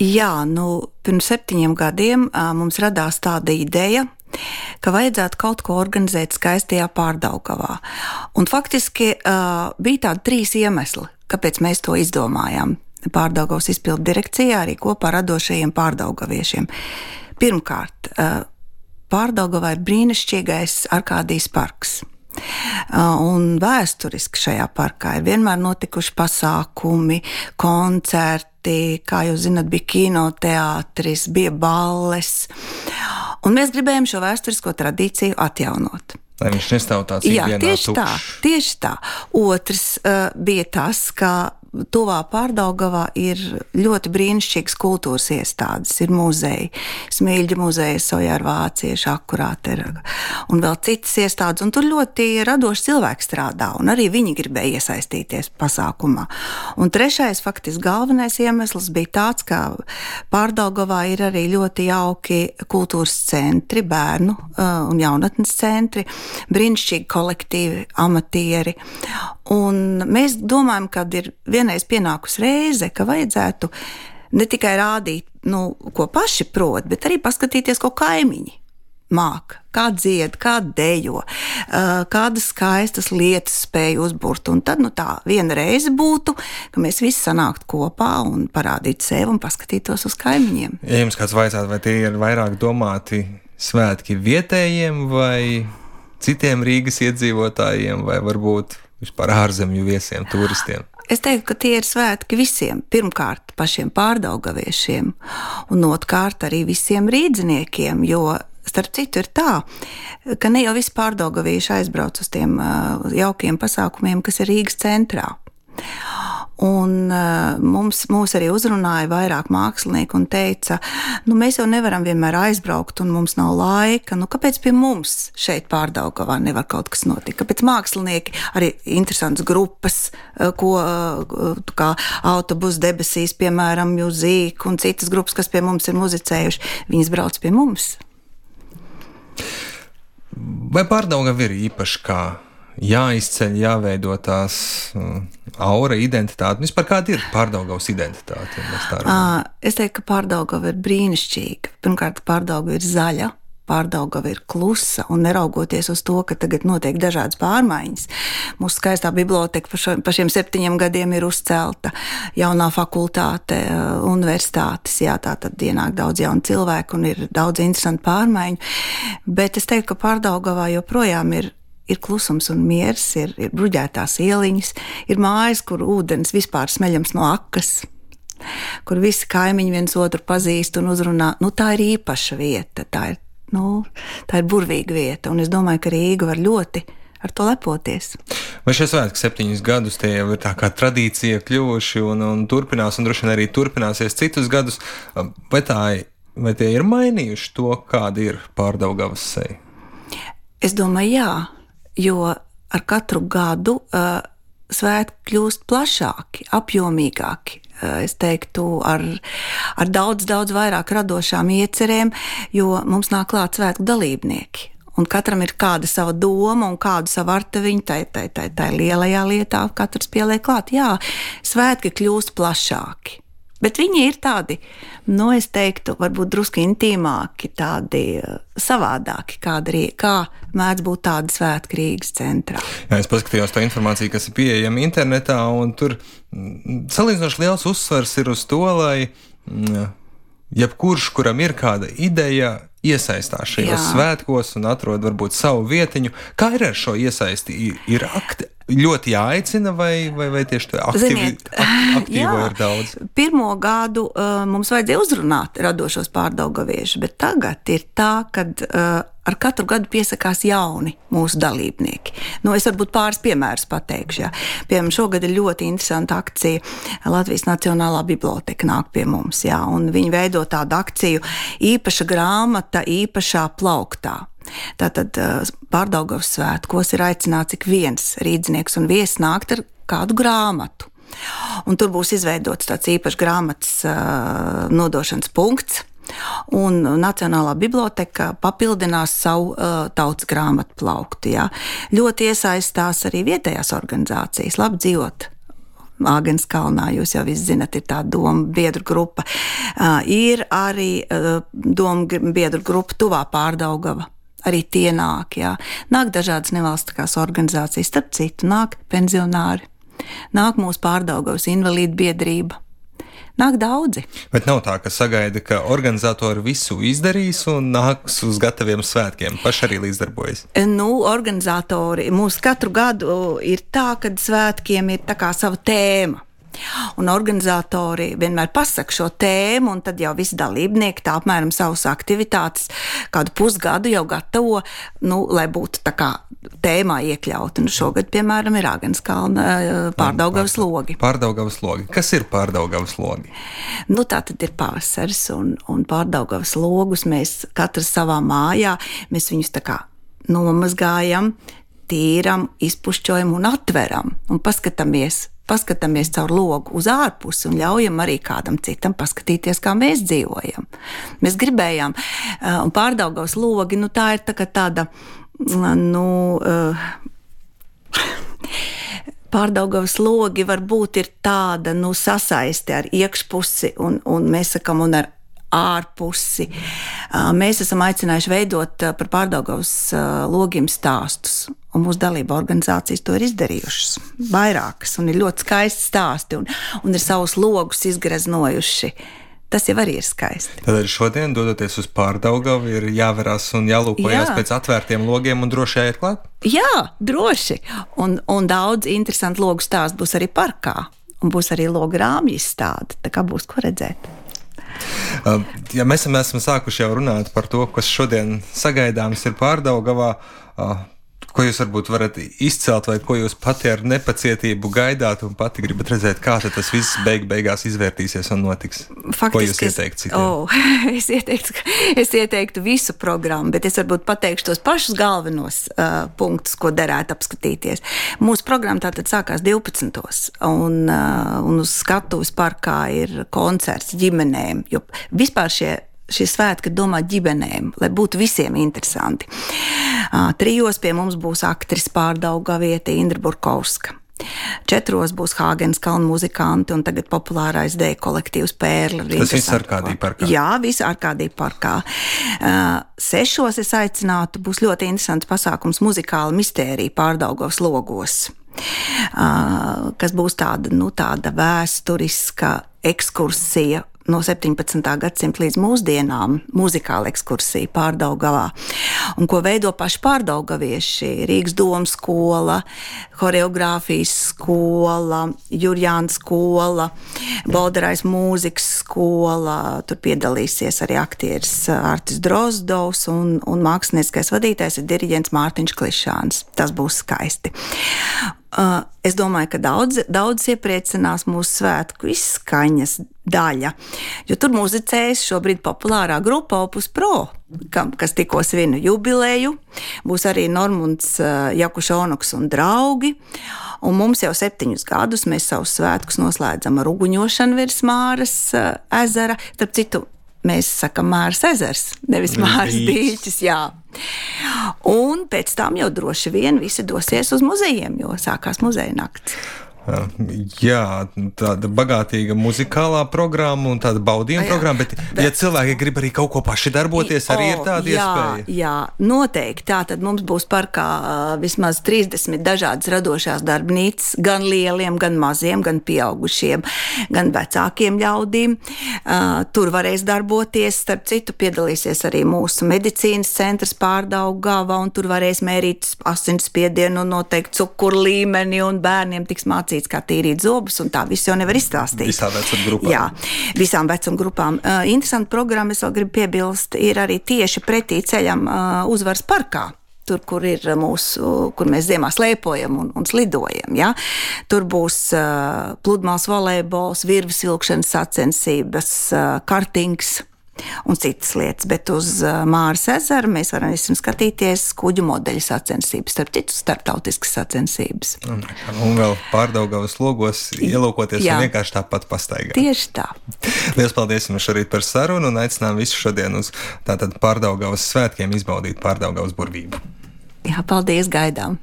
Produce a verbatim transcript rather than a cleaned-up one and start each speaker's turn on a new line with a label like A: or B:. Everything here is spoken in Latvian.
A: Jā, nu, pirms septiņiem gadiem uh, mums radās tāda ideja, ka vajadzētu kaut ko organizēt skaistajā Pārdaugavā. Un faktiski uh, bija tādi trīs iemesli, kāpēc mēs to izdomājām. Pārdaugavas izpildu direkcijā arī kopā ar radošajiem pārdaugaviešiem. Pirmkārt, uh, Pārdaugavā ir brīnišķīgais Arkādijas parks. Un vēsturiski šajā parkā ir vienmēr notikuši pasākumi, koncerti, kā jūs zināt, bija kinoteātris, bija balles. Un mēs gribējām šo vēsturisko tradīciju atjaunot.
B: Lai viņš nestāv tāds ikdienā tukšs. Jā, tieši
A: tā, tieši tā. Otrs uh, bija tas, ka tuvā Pārdaugavā ir ļoti brīnišķīgas kultūras iestādes, ir muzeji, Smilģa muzeja, Sojāra vācieši, akurāti ir, un vēl citas iestādes, un tur ļoti radoši cilvēki strādā, un arī viņi gribēja iesaistīties pasākumā. Un trešais, faktiski galvenais iemesls bija tāds, ka Pārdaugavā ir arī ļoti jauki kultūras centri, bērnu uh, un jaunatnes centri, brīnišķīgi kolektīvi, amatieri, un mēs domājam, ka ir vienreiz pienākus reize, ka vajadzētu ne tikai rādīt, nu, ko paši prot, bet arī paskatīties, ko kaimiņi māk, kā dzied, kā dejo, kādas skaistas lietas spēj uzburt. Un tad, nu, tā viena reize būtu, ka mēs visi sanāktu kopā un parādītu sevi un paskatītos uz kaimiņiem.
B: Ja jums kāds vaicātu, vai tie ir vairāk domāti svētki vietējiem vai citiem Rīgas iedzīvotājiem, vai varbūt vispār ārzemju viesiem, turistiem?
A: Es teiktu, ka tie ir svētki visiem. Pirmkārt, pašiem pārdaugaviešiem, un otrkārt arī visiem rīdziniekiem, jo, starp citu, ir tā, ka ne jau visi pārdaugavieši aizbrauc uz tiem uh, jaukiem pasākumiem, kas ir Rīgas centrā. Un uh, mums, mūs arī uzrunāja vairāk mākslinieki un teica, nu mēs jau nevaram vienmēr aizbraukt un mums nav laika, nu kāpēc pie mums šeit Pārdaugavā nevar kaut kas notikt? Kāpēc mākslinieki, arī interesantas grupas, uh, ko uh, kā Autobus debesīs, piemēram, Mūzīk un citas grupas, kas pie mums ir muzicējuši, viņas brauc pie mums.
B: Vai Pārdaugava ir īpaši kā jāizceļ, jāveido tās uh, aura, identitāte? Vispār kāda ir Pārdaugavas identitāte?
A: Ja es teiktu, ka Pārdaugava ir brīnišķīga. Pirmkārt, Pārdaugava ir zaļa, Pārdaugava ir klusa, un neraugoties uz to, ka tagad notiek dažādas pārmaiņas. Mūsu skaistā biblioteka pa, šo, pa šiem septiņiem gadiem ir uzcelta, jaunā fakultāte, universitātes, jā, tā tad ienāk daudz jaunu cilvēku un ir daudz interesantu pārmaiņu, bet es teiktu, ka Pārdaugavā joprojām ir Ir klusums un miers, ir, ir bruģētās ieliņas, ir mājas, kur ūdens vispār smeļams no akas, kur visi kaimiņi viens otru pazīst un uzrunā. Nu, tā ir īpaša vieta, tā ir, nu, tā ir burvīga vieta, un es domāju, ka Rīga var ļoti ar to lepoties.
B: Vai šie svētki septiņus gadus tie jau ir tā kā tradīcija kļuvuši un, un turpinās, un droši vien arī turpināsies citus gadus, vai, tā, vai tie ir mainījuši to, kāda ir Pārdaugavas seja?
A: Es domāju, jā. Jo ar katru gadu uh, svētki kļūst plašāki, apjomīgāki. Uh, es teiktu, ar, ar daudz, daudz vairāk radošām iecerēm, jo mums nāk klāt svētku dalībnieki. Un katram ir kāda sava doma un kādu savu artaviņu, tai, tai, tai, tai lielajā lietā katrs pieliek klāt. Jā, svētki kļūst plašāki. Bet viņi ir tādi, nu, es teiktu, varbūt drusku intīmāki, tādi savādāki, kādi, kā mēdz būt tādi svētki Rīgas centrā.
B: Jā, es paskatījos to informāciju, kas ir pieejama internetā, un tur salīdzinoši liels uzsvars ir uz to, lai jebkurš, kuram ir kāda ideja, iesaistās šajos Jā. svētkos un atrod varbūt savu vietiņu. Kā ir ar šo iesaisti? Ir akti, ļoti jāaicina vai, vai, vai tieši aktīvi,
A: Ziniet,
B: ak, aktīvo
A: jā,
B: ir daudz?
A: Pirmo gadu uh, mums vajadzēja uzrunāt radošos pārdaugaviešus, bet tagad ir tā, kad uh, ar katru gadu piesakās jauni mūsu dalībnieki. Nu, es varbūt pāris piemērus pateikšu. Jā. Piemēram, šogad ir ļoti interesanta akcija. Latvijas Nacionālā biblioteka nāk pie mums, jā, un viņi veido tādu akciju īpaša grāmata īpašā plauktā. Tātad Pārdaugavas svētkos ir aicināts ik viens rīdznieks un viesis nākt ar kādu grāmatu. Un tur būs izveidots tāds īpašs grāmatas uh, nodošanas punkts, un Nacionālā biblioteka papildinās savu uh, tautas grāmatu plauktu. Jā. Ļoti iesaistās arī vietējās organizācijas, labi dzīvot Āgenskalnā, jūs jau visi zinat, ir tā doma biedru grupa. Ir arī doma biedru grupa Tuvā Pārdaugava. Arī tie nāk, jā. Nāk dažādas nevalstiskās organizācijas, starp citu, nāk pensionāri, nāk mūsu Pārdaugavas invalīdu biedrība. Nāk daudzi.
B: Bet nav tā, ka sagaida, ka organizatori visu izdarīs un nāks uz gataviem svētkiem. Paši arī līdzdarbojas.
A: Nu, organizatori mums katru gadu ir tā, ka svētkiem ir tā kā sava tēma. Un organizatori vienmēr pasaka šo tēmu, un tad jau visi dalībnieki tā apmēram savas aktivitātes kādu pusgadu jau gatavo, nu, lai būtu tā kā tēmā iekļauti. Un šogad, piemēram, ir Āgenskalna Pārdaugavas logi.
B: Pārdaugavas logi. Kas ir Pārdaugavas logi?
A: Nu, tā tad ir pavasaris, un, un Pārdaugavas logus mēs katrs savā mājā, mēs viņus tā kā nomazgājam, tīram, izpušķojam un atveram un paskatāmies. Paskatāmies caur logu uz ārpusi un ļaujam arī kādam citam paskatīties, kā mēs dzīvojam. Mēs gribējām, un Pārdaugavas logi, nu tā ir tā kā tāda, nu, Pārdaugavas logi varbūt ir tāda, nu, sasaisti ar iekšpusi un, un mēs sakam, un ar ārpusi. Mēs esam aicinājuši veidot par Pārdaugavas logiem stāstus. Un mūsu dalība organizācijas to ir izdarījušas. Vairākas, un ir ļoti skaisti stāsti, un, un ir savus logus izgreznojuši. Tas jau arī ir skaisti.
B: Tad arī šodien, dodoties uz Pārdaugavu, ir jāverās un jālūkojas Jā. Pēc atvērtiem logiem un droši jāiet klāt?
A: Jā, droši. Un, un daudz interesantu logu stāstu būs arī parkā. Un būs arī logu rāmju izstāde, tā kā būs ko redzēt.
B: Ja mēs esam sākuši jau runāt par to, kas šodien sagaidāms ir Pārdaugavā, ko jūs varbūt varat izcelt vai ko jūs pati ar nepacietību gaidāt un pati gribat redzēt, kā tas viss beig beigās izvērtīsies un notiks?
A: Faktiski,
B: ko jūs ieteiktu citiem?
A: Oh, es, ieteiktu, es ieteiktu visu programmu, bet es varbūt pateikšu tos pašus galvenos uh, punktus, ko derētu apskatīties. Mūsu programma tātad sākās divpadsmitos un, uh, un uz skatuves parkā ir koncerts ģimenēm, jo vispār šie Šie svētki ir domāti ģimenēm, lai būtu visiem interesanti. Trijos pie mums būs aktris Pārdaugaviete Indra Burkovska. Četros būs Āgenskalna muzikanti un tagad populārais deju kolektīvs Pērle.
B: Tas viss Arkādija parkā?
A: Jā, viss Arkādija parkā. Sešos es aicinātu, būs ļoti interesants pasākums muzikāla mistērija Pārdaugavas logos, kas būs tāda, nu, tāda vēsturiska ekskursija no septiņpadsmitā gadsimta līdz mūsdienām, muzikāla ekskursija Pārdaugavā, un ko veido paši pārdaugavieši, Rīgas domas skola, horeogrāfijas skola, Jurjāna skola, Bolderais mūzikas skola, tur piedalīsies arī aktieris Artis Drozdovs un, un mākslinieckais vadītājs ir diriģents Mārtiņš Klišāns. Tas būs skaisti. Uh, es domāju, ka daudz, daudz iepriecinās mūsu svētku izskaņas daļa, jo tur muzicēs šobrīd populārā grupa Opus Pro, kam, kas tikko svinu jubileju, būs arī Normunds uh, Jakušonoks un draugi, un mums jau septiņus gadus mēs savus svētkus noslēdzam ar uguņošanu virs Māras uh, ezera, starp citu, mēs sakam Māras ezers, nevis Māras dīķis, jā. Un pēc tam jau droši vien visi dosies uz muzejiem, jo sākās muzeja nakts.
B: Jā, tāda bagātīga muzikālā programma un tāda baudījuma jā, programma, bet, bet ja cilvēki grib arī kaut ko paši darboties, arī o, ir tāda
A: jā,
B: iespēja.
A: Jā, noteikti. Tātad mums būs parkā vismaz trīsdesmit dažādas radošās darbnīcas, gan lieliem, gan maziem, gan pieaugušiem, gan vecākiem ļaudīm. Tur varēs darboties, starp citu piedalīsies arī mūsu medicīnas centrs Pārdaugavā, un tur varēs mērīt asinsspiedienu un noteikti cukuru līmeni, un bērniem tiks mācīts kā tīrīt zobus, un tā viss jau nevar izstāstīt.
B: Visām vecuma grupām.
A: Jā, visām vecuma grupām. Uh, interesanti programma, es vēl gribu piebilst, ir arī tieši pretī ceļam uh, Uzvaras parkā. Tur, kur ir mūsu, kur mēs ziemā slēpojam un, un slidojam, ja? Tur būs uh, pludmales volejbols, virves vilkšanas sacensības, uh, kartings un citas lietas, bet uz Māras ezeru mēs varam visam skatīties kuģu modeļu sacensības, starp citu starptautiskas sacensības.
B: Un, un vēl Pārdaugavas logos ielūkoties
A: Jā.
B: Un vienkārši tāpat pastaigāt.
A: Tieši tā.
B: Liels paldies jums šorīt par sarunu un aicinām visu šodien uz tātad Pārdaugavas svētkiem izbaudīt Pārdaugavas burvību.
A: Jā, paldies, gaidām.